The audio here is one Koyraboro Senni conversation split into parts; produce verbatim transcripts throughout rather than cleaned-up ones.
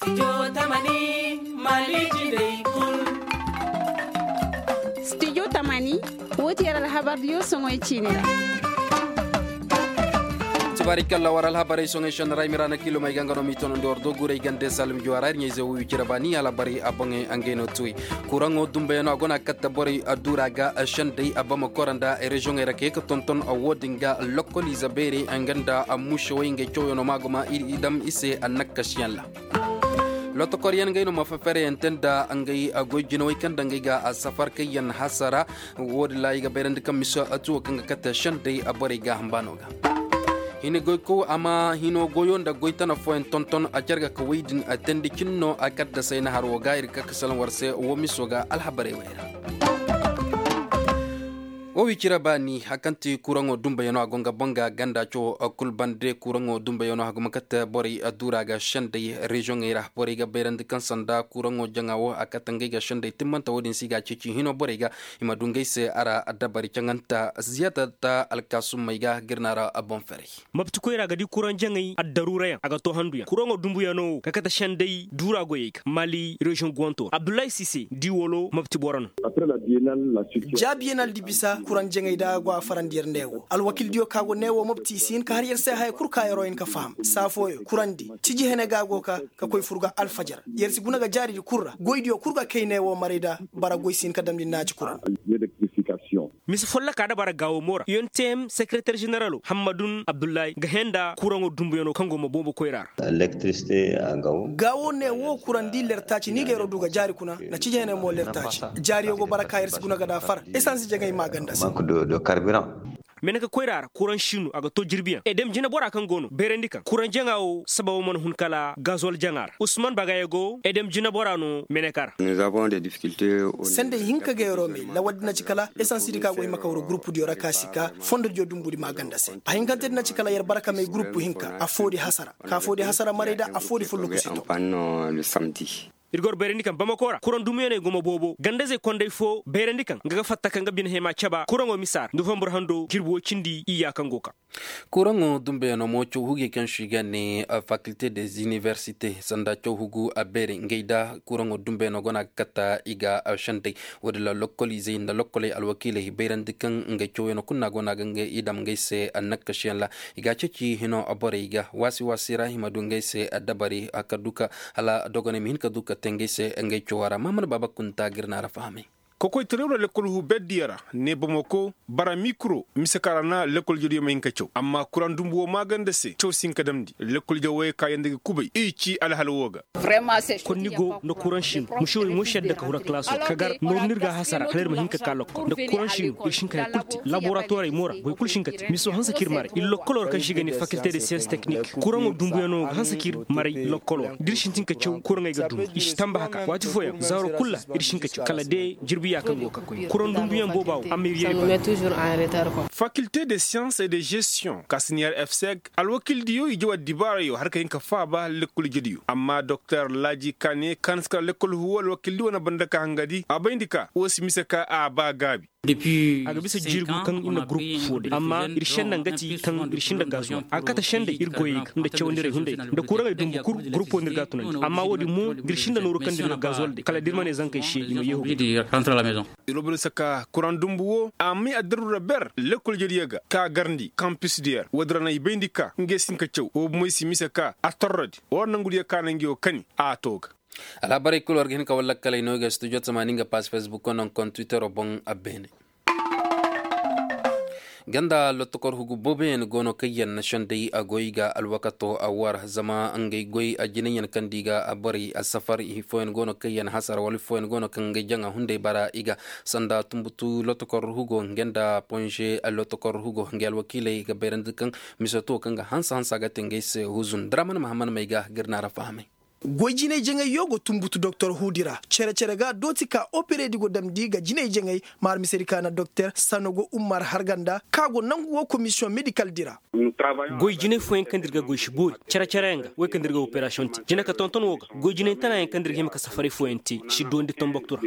Studio tamani, woo ti yer alhabar diyo soŋoy ciini ra. Tibaari kalla war alhabarey soŋoy sennara i ma ra na kiilomey ga nga no m'i tonandi war do guurey gande salum juwa ra ir ɲayze wo wicira baani alhabarey a boŋey ngey no tuwey. Kuraŋo dumbayano a go no a katta borey a duura ga sendey a bama kora nda reziyoŋey ra kay ka tonton a wo-din ga lokkoliize beerey nga nda a mušewey ngey cawyaŋo ma a go ma i dam i se a nakkasiyaŋ ra. Lotokoryaŋ ngey no ma fafereyaŋ te nda ngey goy jinawey kaŋ nda ngey ga a safar kayyaŋ hasara. Wo-din ra i ga bayrandi kaŋ mise tuwo kaŋ ga kate sendey a borey gaaham baano ga. Hini goykow a ma hino goyo nda goy tana fooyaŋ tonton a care ga ka wey din a teendi cin no a kaddasay na har wo ga ir ga ka ka salaŋ war se wo miso ga alhabarey wey ra. Wo wicira baani hari kaŋ ti kuraŋo dumbayano a go nga boŋ ga ganda cawo kul bande kuraŋo dumbayano a go ma kate borey duura ga sendey reziyoŋey ra borey ga bayrandi kaŋ sanda kuraŋo jaŋa wo a kate ngey ga sendey timmanta wo-din se i ga a ceeci hino borey ga i ma du ngey se a ra dabari caŋanta ziyadata alkaasummey ga ga ir na a ra boŋ ferey. Mapti koyra ga di kuraŋ jaŋey addaruurayaŋ a ga to handuyaŋ kuraŋo dumbuyano wo ka kate sendey duura goyey ga mali reziyoŋ guwanto abdullahi sise di wolo mapti boro no. Ja biyenal di bisa kuraŋ jaŋey da go a farandi yer ne wo alwakildiyo ka go ne wo mopti i si hin ka har yer se haya kul ka yeroo hin ka faham saa fooyo kuraŋ di tiji hene ga go ka ka koy fur ga alfajar yer si guna ga jaari di kul ra goydiyo kul ga kay ne wo maray da bara goy si hin ka damndi naaci kuraŋ. Mise folloka da bara gaawo mo ra yontm sekereter ženeralo hammadun abdullahi ga hẽ nda kuraŋo dumbuyano kaŋ go ma boobo koyra ra. Gaawo ne wo kuraŋ di lertaaci ni ga yeroo du ga jaari kuna na cijeeney mo lertaaci jaariyo go bara ka yer si guna ga da far esansi jaŋay maaganda se. Meneka koyra ra kuraŋ siinu a ga to jirbiyaŋ edem jinebora kaŋ go no bayrandi kaŋ kuraŋ jaŋa wo sababo mana hun kala gazol jaŋa ra usman bagaya go edem jinebora no meneka ra. Sendey hinka ga yeroo may lawal di na ci kala esansi di ka go hima ka wuro gurupu diyo ra ka si ka fondo diyo dumbu di maaganda se a hinkante di na ci kala yer bara ka may gurupu hinka affoo di hasara ka affoo di hasara maray da affoo di fulluku si to. Ir gor bayrandi kaŋ bamako ra kuraŋ dumiyaney gumo boobo gandazey kondey fo bayrandi kaŋ nga ga fatta kaŋ ga bine hema caba kuraŋo misa ra nofambur hando jirbi woy cindi iyya kaŋ go ka. Kuraŋo dumbeyanoo mo caw huge kaŋ se i ga ne fakilte des inibersite sanda caw hugu a beeri ngey da kuraŋo dumbeyanoo go no a ga katta i ga sendey. Woodin ra lokkol izey nda lokkoley alwakiiley bayrandi kaŋ ngey cawyanoo kulu no a go no a ga ngey i dam ngey se annakasiyaŋ ra. I ga a ceeci hino borey ga waasi waasi ra i ma du ngey se dabari ka du ka hala dogoney ma hin ka du ka te ngey se ngey cawa ra mahamad baaba kunta ga ir na ra fahamay. Kokoytaray wala lekkol huu berdiyo ra ne bamako bara mikro mise kaŋ ra na lekkol jediyo ma hin ka caw amma kuraŋ dumbu woo maaganda se caw si hin ka damndi lekkol jawey ka yanda ga kubay i ci alhal woo ga. Konni go nda kuraŋ siino mušewey mo si yadda ka hura kalaasoo ka gar nooru no ir ga a hasara hala ir ma hin ka ka lokkol nda kuraŋ siino ir si hin ka haya kul te laboratorey mo ra boro kul si hin ka te miso hanse ka ir maray ir lokkoloo ra kaŋ se i ga ne fakilte de siyans teknik kuraŋo dumbuyanoo ga hanse ka ir maray lokkoloo ra da ir sintin ka caw kuraŋey ga dum i si tamba haka waati fooyaŋ zaaro kul ra ir si hin ka caw kala de jirbiyaa kaŋ go ka koy kuraŋ dumbuyaŋ booba wo a ma ir yay bana. Fakilte de siyans et de gestiyoŋ ka si neer efseg alwakildiyo i jaw addibaarayo har ka hin ka faaba lekkol ijediyo amma doktor laaji ka ne ka na si kala lekkol huwo alwakildi wane banda ka hangadi a bayndi ka wo si mise ka a ba gaabi. A ga bisa jiiri gu kaŋ ir na gurupu foo day amma ir senna nga ti kaŋ ir sinda gazuwal a ga kate sendey ir goyey ga nda cawandirey hunday ga nda kuraŋey dumbu kul gurupo no ir ga a tunandi amma wo-din mo da ir sinda nooru kaŋ nda ir ga gazuwal day kala da ir ma ne zankey se i ma yeehu. Ir wo boro bisa ka kuraŋ dumbu wo a may addaru ra ber lekkol jediyo ga ka garndi kampis diyer wo-din ra no i bayndi ka ngey si hin ka caw wo bomey si mise ka a torrodi war nangudiyo ka no ngey wo kani a to ga. Alhabarey kul war ga hin ka war lakkaley no i ga studio tamaani nga pass facebook no nkoŋ twittero boŋ a beene. Ganda lotokor hugu booboyaŋ go no kaŋ yaŋ na sendey a goy ga alwakato a war zama ngey goy a jinayyaŋ kaŋ da i ga borey a safar i fooyaŋ go no kaŋ yaŋ hasara wala i fooyaŋ go no kaŋ ngey jaŋa hunday bara i ga sanda tumbutu lotokor hugo ngey nda ponze lotokor hugo ngey alwakiiley ga bayrandi kaŋ misoto kaŋ ga hanse hanse a ga te ngey se huzun draman mahaman may ga ga ir na ra fahamay. Goy jinay jaŋayyo go tumbutu doktor huudi ra cere-cere ga dooti ka operedi go damndi ga jinay jaŋay maar misedi ka na doktor sanogo ummar harganda ka go nangu wo komisiyoŋ medikal di ra. Goy jinay fooyaŋ kaŋ da ir ga goy si boori cere-cere yaŋ ga wey kaŋ da ir ga operasiyoŋ te jina ka tonton wo ga goy jinay tana yaŋ kaŋ da ir ga hima ka safaray fooyaŋ te si doondi tomboktu ra.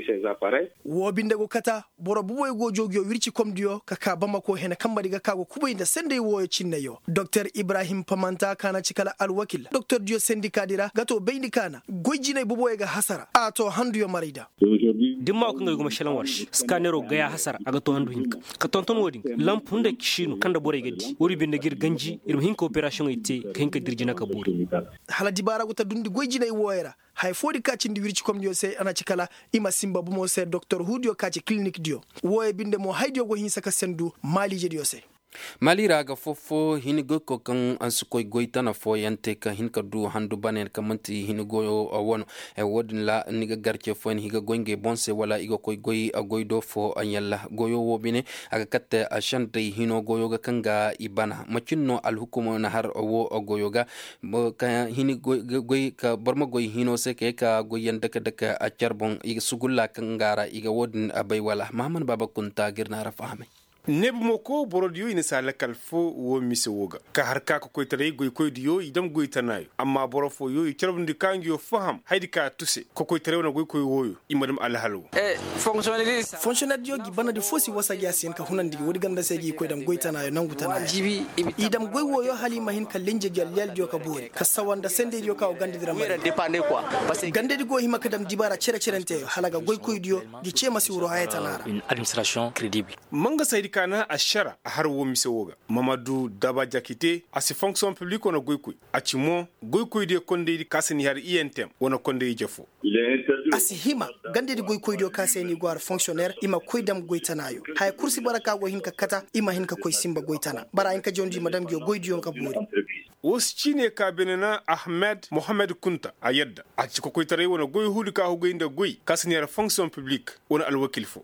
Woo binde go kata boro buboy go joogiyo wirci komdiyo ka ka bamako hene kambadi ga ka go kubay nda sendey wooyo cinneyo doktor ibrahim pamanta ka na ci kala alwakil doktordiyo sendikaadi ra ga to bay. Ni kaana goy jinay boboyey ga hasara a to handuyo maray da. Dimma wo kaŋ ga ay guma šelaŋ war se scanero gaya hasara a ga to handu hinka. Ka tonton wo- din lamp hunday ka siinu kaŋ nda borey ga di wo- din binde ga ir ganji ir ma hin ka operasiyoŋey te ka hin ka dir jina ka boori. Hala dibaara go ta dundi goy jinay wooyey ra haya foo di ka cindi wircikomdiyo se a na ci kala i ma sinba bomo se doktor huudiyo ka ci kilinikdiyo. Wooyey binde mo haydiyo go hinsa ka sendu maaliijediyo se. Maali ra ga foofo hini goyko kaŋ si koy goy tana fooyaŋ te ka hin ka du handu bane kaŋ man'ti hini goyo wano. Wo- din ra ni ga gar ce fooyaŋ i ga goy ngey boŋ se wala i ga koy goy goy do fo yalla goyo wo bine a ga katte sendey hino goyo ga kaŋ ga i bana macin no alhukumo na har wo goyo ga. Boro ma goy hino se ka ye ka goyyaŋ dake dake care boŋ i ga sugulla kaŋ ga ra i ga wo- din bay wala mahammad baaba kunta ga ir na ra fahamay. Neebumoko borodiyo i na si a lakal fo wo mise wo ga ka har ka kokoytaray goykoydiyo i dam goy tanaayo amma boro fooyo i carbundi ka nguyo faham hayadi ka a tuse kokoytaray wane goykoy wooyo i ma dam alhal wo. Fonsonerdiyo gi banadi fo si wasa gi a si hin ka hunandi gi woodi ganda se gi koy dam goy tanaayo nangu tanaayo. I dam goy wooyo hala i ma hin ka lenje gi alliyaldiyo ka boori ka sawa nda sendeydiyo ka go gandadi ra ma. Gandadi go hima ka dam dibaara cere-cerenteyo hala ga goykoydiyo gi ce ma si wuro haya tana ra. Mangasaydi ka naŋ ašara a har wo mise wo ga mamadu daba jakite a si fonksiyoŋ piblik wane goykoy. A ci mo goykoydiyo kondaydi ka si ni har iyentem wane konday ije fo. A si hima gandadi goykoydiyo ka se ni go har fonksiyoner i ma koy dam goy tanaayo haya kul si bara ka go hin ka kata i ma hin ka koy sinba goy tana bara hin ka jawndi i ma dam nguyo goydiyo ka boori. Woo si ciine ka beene na ahmed mohammed kunta a yadda a ci kokoytaray wane goy huudi ka hugay nda goy ka si ni har fonksiyoŋ piblik wane alwakil fo.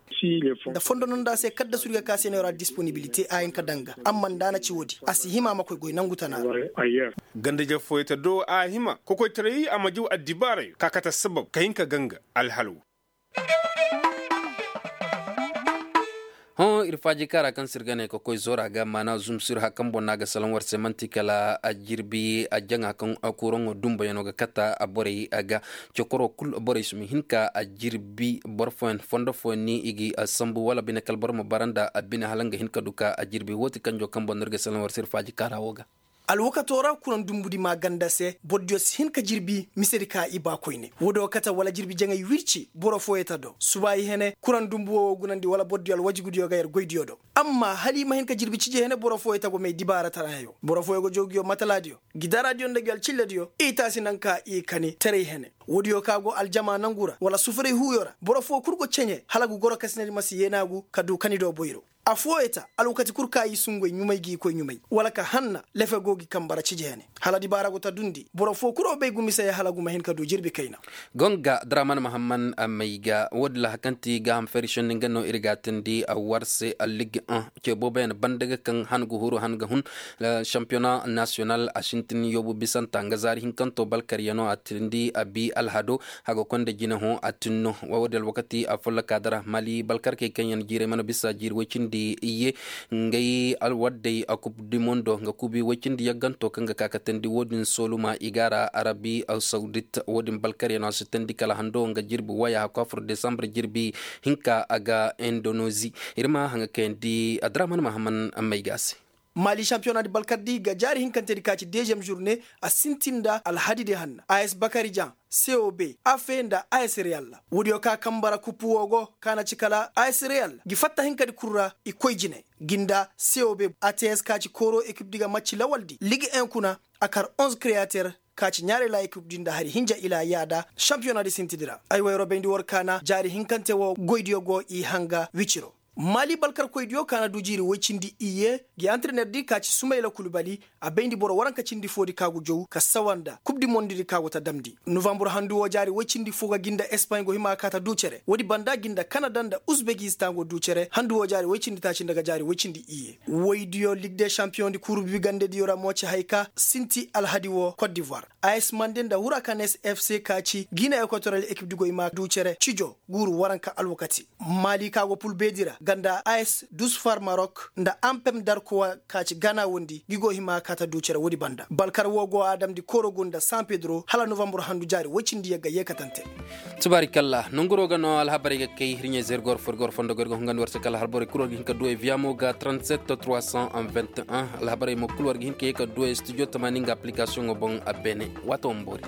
Nda fondo nonda se kadda surga ka se no ra disponibilite a hin ka daŋ ga amma nda a na ci woodi a si hima a ma koy goy nangu tana ra. Ganda-ije fooyey ta do a hima kokoytaray a ma jaw addibaarayo ka kate assabab ka hin ka ganga alhal wo. Hõ ir faaji kaara kaŋ se ir ga ne ka koy zoora ga maana zumsir hakambo no a ga salaŋ war se man'ti kala a jirbi a jaŋa kaŋ kuraŋo dumbayaŋo ga kata borey ga. Cokoro kul borey si ma hin ka a jirbi boro fooyaŋ fondo fooyaŋ ni i ga sambu wala bine kala boro ma bara nda a bine hala nga hin ka du ka a jirbi woo ti kanjo kaŋ boŋ no ir ga salaŋ war se ir faaji kaara woo ga. Alwakato ra kuraŋ dumbudi maa ganda se borodiyo si hin ka jirbi misedi ka i ba koyne woo do kate wala jirbi jaŋay wirci boro fooyey ta do suba i hene kuraŋ dumbu woo gunandi wala borodiyo alwajigu diyo ga yer goy diyo do. Amma hala i ma hin ka jirbi cije hene boro fooyey ta go may dibaara tarayayo boro fooyey go jaw nguyo matala diyo gidara diyo nda nguyo alcilla diyo i taasi naŋ ka i kani taray hene. Woodiyo ka go aljama nangu ra wala sufuray huuyo ra boro fooyey kul go ceɲe hala ga goro kasinadi ma si yeenaagu ka du kani do boyro. Afooyey ta alwakati kul ka i sungoy ɲumay ga i koy ɲumay wala ka hanna lefe go ga i kambara cije hene. Hala dibaara go ta dundi boro foo kul wo bay gumisey hala guma hin ka du jirbi kayna. Gonga draman mahamman may ga woodin ra hari kaŋ ti gaaham feri šenni nga no ir ga a teendi war se. Ligue un ce booboyaŋ banda ga kaŋ han ga huru han ga hun. Šampiyona nasiyonal a sintin yoobu bisanta nga zaari hinkanto balkaryaŋo a teendi a bi alhado. Haga konda jine hõ a tinno. Woodin alwakati a folloka dara mali balkarkey kaŋ yaŋ jiiray mana bisa jiiri woy cindi iyye. Ngey alwaddey a kub di mondo nga kubi woy cindi yagganto kaŋ ga ka ka teendi woodin sooluma i ga a ra arabi sawdit. Woodin balkaryaŋo a si teendi kala hando nga jirbi waya hakku a fur desambar jirbi hinka a ga indonozi. Ir ma haŋa kayandi adraman mahaman may ga a se. Mali šampiyonadi balkardi ga jaari hinkantedi ka ci deziyem žurne a sintin nda alhadidi hanna a s bakarijan cob afe nda a s reyal ra. Woodiyo ka kambara kuppu woo go ka na ci kala a s reyal ra gi fatta hinkadi kul ra i koy jine. Gi nda cob ats ka ci kooro ekipdi ga macci lawaldi ligue un kuna a kar onze kreyater ka ci ɲaaray ra ekipdi nda hari hinja ila yaada šampiyonadi sintidi ra ay wayro bayndi war kaana jaari hinkante woo goydiyo go i hanga wiciro. Mali balkarkoydiyo ka na du jiiri woy cindi iyye gi antrenerdi ka ci sumayla kulbali a bayndi boro waranka cindi foodi ka go jow ka sawa nda kub di mondidi ka go ta damndi. Novambur handu woo jaari woy cindi foo ga gi nda espaɲ go hima ka ta du cere woodi banda gi nda kanada nda uzbekistan go du cere handu woo jaari woy cindi taaci nda ga jaari woy cindi iyye. Woydiyo lig de šampiyoŋ di kuuru bibigandediyo ra mo ci hay ka sinti alhadi woo kot divoir. As mande nda hurakanes fc ka ci gine ekotorel ekip di goy ma du cere cijo guuru waranka alwakati. Mali ka go pul beedi ra nga nda as dusfar marok nda ampem darkowa ka ci gana wondi gi go hima ka ta du cere woodi banda balkar woo go a damndi korogu nda san pedro hala novambur handu jaari woy cindi yagga yeekatante. Tubaarikalla nonguroo ga no alhabarey ga kay hirɲey zergor forgor fondo goy ga hungandi war se kala alhabarey kul war ga hin ka duwey viyamo ga trente-sept trois cent vingt et un alhabarey mo kul war ga hin ka ye ka duwey studio tamaani nga aplikasiyoŋo boŋ a beene. Waato ma boori.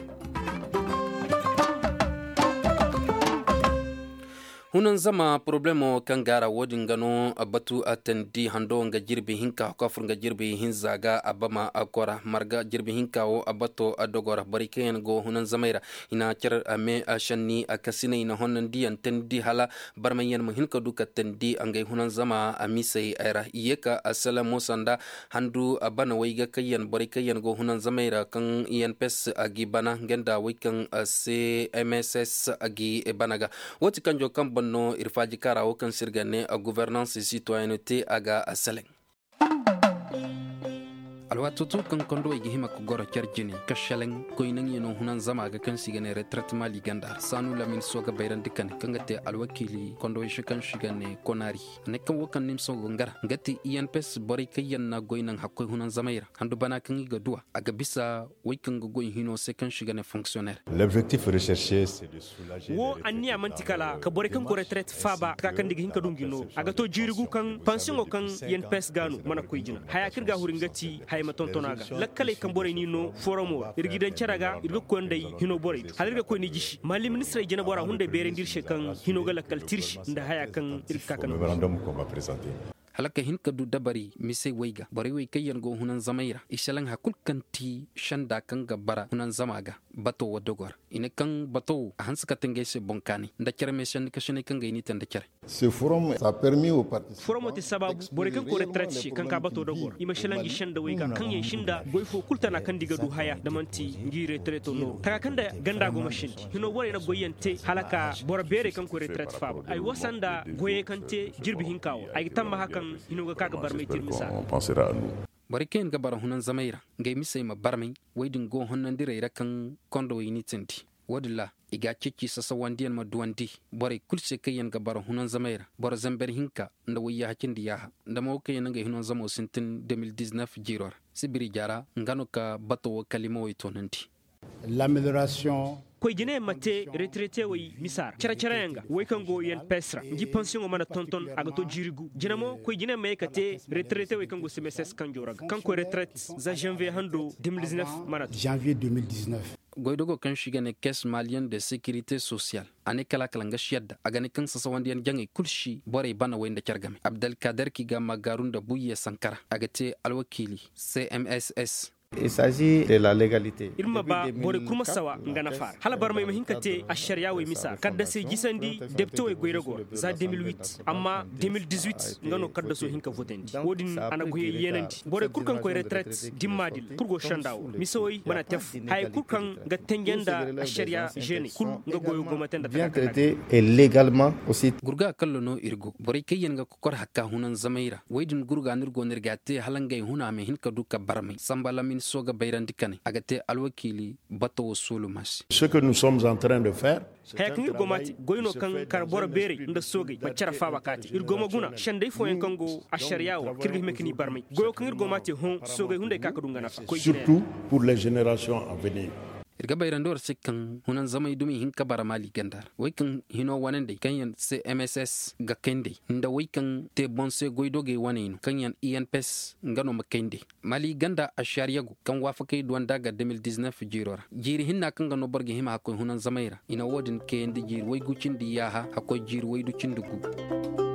Hunanzama poroblemo kaŋ gaara wo-din ga no batu tandi hando nga jirbi hinka hakko a fur nga jirbi hinza ga a bama kora marga jirbi hinka wo bato dogo ra borey kaŋ yaŋ go hunanzamey ra i na care me shanni kasiney na honnandiyaŋ tandi hala barmayyaŋ ma hin ka du ka tandi ngey hunanzama misey ra i ye ka sele mo sanda handu bana wayga kaŋ yaŋ borey kaŋ yaŋ go hunanzamey ra kaŋ yaŋ pes gi bana nga nda wey kaŋ cmss gi bana ga. Wo ti kanjo kaŋ ban no ir faaji kaara wo kaŋ se ir ga ne gouvernance citoyenno te a ga seleŋ. Alwaato to kaŋ kondowey ga hima ga goro care jine ka seleŋ koynaŋyaŋo hunanzama ga kaŋ se i ga ne retretemaali ganda ra saanu lamin sooga bayrandi kane kaŋ ga te alwakiili kondowey se kaŋ se i ga ne konaari. A ne kaŋ wo kaŋ nimso go nga ra nga ti i n p s borey kaŋ yaŋ na goy naŋ hakkoy hunanzamey ra handu bana kaŋ i ga duw'a a ga bisa wey kaŋ ga goy hino se kaŋ se i ga ne fonksionner. Wo anniya man'ti kala ka borey kaŋ go retret faaba taka kaŋ nda i ga hin ka du ngi nooru a ga to jiiri gu kaŋ pansiyoŋo kaŋ i n p s ga no mana koy jina haya kaŋ ir ga a huri nga ti haya ma tonton a ga lakkaley kaŋ borey n'i no foromo ra ir g'i daŋ care ga ir ga koy nda ay hino borey do hala ir ga koy n'i jisi maali ministirey jinebora hunday beerandi ir se kaŋ hino ga lakkal tirsi nda haya kaŋ ir ga ka ka no. Hala ka hin ka du dabari misey wey ga borey wey kaŋ yaŋ go hunanzamey ra i selaŋ hari kulu kaŋ ti senda kaŋ ga bara hunanzama ga bato wo dogo ra i ne kaŋ bato wo a hanse ka te ngey se boŋ kaanay nda care meesanni kasinay kaŋ ga i n'i te nda care. Foromo te sabaabu borey kaŋ koy retraite se kaŋ ka bato dogo ra i ma selaŋ ngi senda wey ga kaŋ yaŋ sinda goy fo kulu tana kaŋ nda i ga du haya nda man'ti ngi retraito nooru taka kaŋ nda ganda go ma sindi hino borey na goyyaŋ te hala ka boro beerey kaŋ koy retraite faaba ay wasa nda goyey kaŋ te jirbi hinka wo ay ga tammaha kaŋ hino ga ka ga barmay te ir misa ra. Borey kaŋ yaŋ ga bara hunanzamey ra ngey misey ma barmay wey din go honnandirey ra kaŋ kondowey n'i tindi wo-din ra i ga a ceeci sasawandiyaŋ ma duwandi borey kulu se kaŋ yaŋ ga bara hunanzamey ra boro zamber hinka nda wayyaaha cindi yaaha nda mo kaŋ yaŋ na ngey hunanzamo sintin de mil diznef jiiro ra sibiri jaara nga no ka bato wo kalimawey toonandi. Koy jinayaŋ ma te retraitewey misa ra care-careyaŋ ga wey kaŋ go i n p s ra ngi pansiyoŋo mana tonton a ga to jiiri gu jina mo koy jinayaŋ ma ye ka te retraitewey kaŋ go cmss kanjo ra ga kaŋ koy retraite za janvier hando de mil diznef mana to. Goydogo kaŋ se i ga ne caisse malienne de sécurité sociale a ne kala a kala nga si yadda a ga ne kaŋ sasawandiyaŋ jaŋey kulu si borey bana wey nda care game abdalkader kaŋ i ga a maagaaru nda buyye sankara a ga te alwakiili cmss. Ir ma ba borey kul ma sawa nga nafa ra hala barmey ma hin ka te ašariya wey misa ra kaddasey jisandi depitewey goyrago ra za de mil wit amma de mil dizuit nga no kaddaso hin ka votandi wo-din a na goyey yeenandi borey kul kaŋ koy retret dimmaadi ra kul go senda wo misawey mana te fu hayey kul kaŋ ga tenje nda ašariya žeeney kul nga goyo go ma te nda taka kala. Gurga kallo no ir go borey kaŋ yaŋ ga kokor hakka hunanzamey ra wey din gurga no ir go no ir ga a te hala ngey huna a ma hin ka du ka barmay samba lamin sooga bayrandi kanay a ga te alwakiili bato wo sooluma se. Haya kaŋ ir go ma te goy no kaŋ kar boro beerey nda soogey ma care faaba ka te ir go ma guna sendey fooyaŋ kaŋ go ašariya wo kaŋ ir ga hima ka n'i barmay goyo kaŋ ir go ma te hõ soogey hunday ka ka du nga nafa koy jine. Ir ga bayrandi war se kaŋ hunanzamey dumi hin ka bara maali ganda ra wey kaŋ hino wanandey kaŋ yaŋ se mss ga kayndey nda wey kaŋ te boŋ se goydogey waney no kaŋ yaŋ i n p s nga no ma kayndey. Mali ganda ašariyago kaŋ waafakey duwanda ga de mil diznef jiiro ra jiiri hinna kaŋ ga no boro ga hima hakkoy hunanzamey ra i na wo-din kayandi jiiri waygu cindi yaaha hakkoy jiiri waydu cindi gu.